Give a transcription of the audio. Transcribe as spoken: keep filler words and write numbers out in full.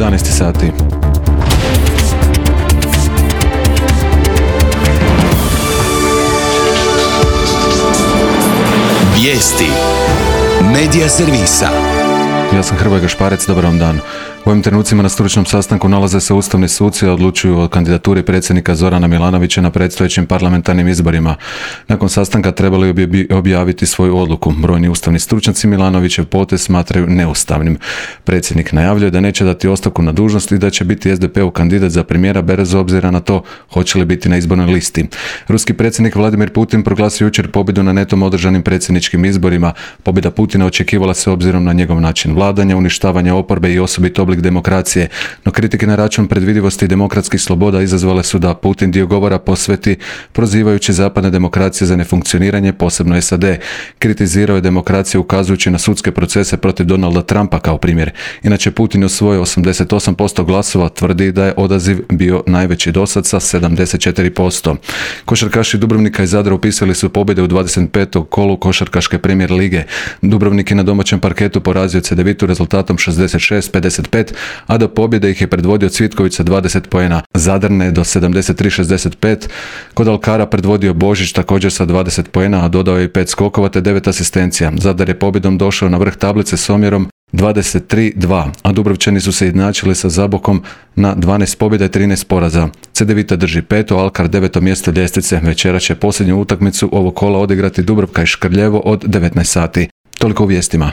jedanaest sati. Vijesti Medija servisa. Ja sam Hrvoje Gašparec, dobar vam dan. U ovim trenucima na stručnom sastanku nalaze se ustavni suci, a odlučuju o kandidaturi predsjednika Zorana Milanovića na predstojećim parlamentarnim izborima. Nakon sastanka trebali bi objaviti svoju odluku. Brojni ustavni stručnjaci Milanovićev potez smatraju neustavnim. Predsjednik najavljuje da neće dati ostavku na dužnost i da će biti es de pe-ov kandidat za premijera bez obzira na to hoće li biti na izbornoj listi. Ruski predsjednik Vladimir Putin proglasio jučer pobjedu na netom održanim predsjedničkim izborima. Pobjeda Putina očekivala se obzirom na njegov način vladanja, uništavanja oporbe i osobito oblik demokracije, no kritike na račun predvidivosti i demokratskih sloboda izazvale su da Putin dio govora posveti prozivajući zapadne demokracije za nefunkcioniranje, posebno es a de. Kritizirao je demokraciju ukazujući na sudske procese protiv Donalda Trumpa kao primjer. Inače, Putin osvojio osamdeset osam posto glasova, tvrdi da je odaziv bio najveći dosad sa sedamdeset četiri posto. Košarkaši Dubrovnika i Zadra upisali su pobjede u dvadeset petom kolu košarkaške premijer lige. Dubrovnik je na domaćem parketu porazio Cedevitu rezultatom šezdeset šest pedeset pet, a do pobjede ih je predvodio Cvitković sa dvadeset poena. Zadar do sedamdeset tri šezdeset pet. Kod Alkara predvodio Božić također sa dvadeset poena, a dodao je i pet skokova te devet asistencija. Zadar je pobjedom došao na vrh tablice s omjerom dvadeset tri dva, a Dubrovčani su se jednačili sa Zabokom na dvanaest pobjeda i trinaest poraza. Cedevita drži peto, Alkar deveto mjesto ljestvice. Večera će posljednju utakmicu ovog kola odigrati Dubrovka i Škrljevo od devetnaest sati. Toliko u vijestima.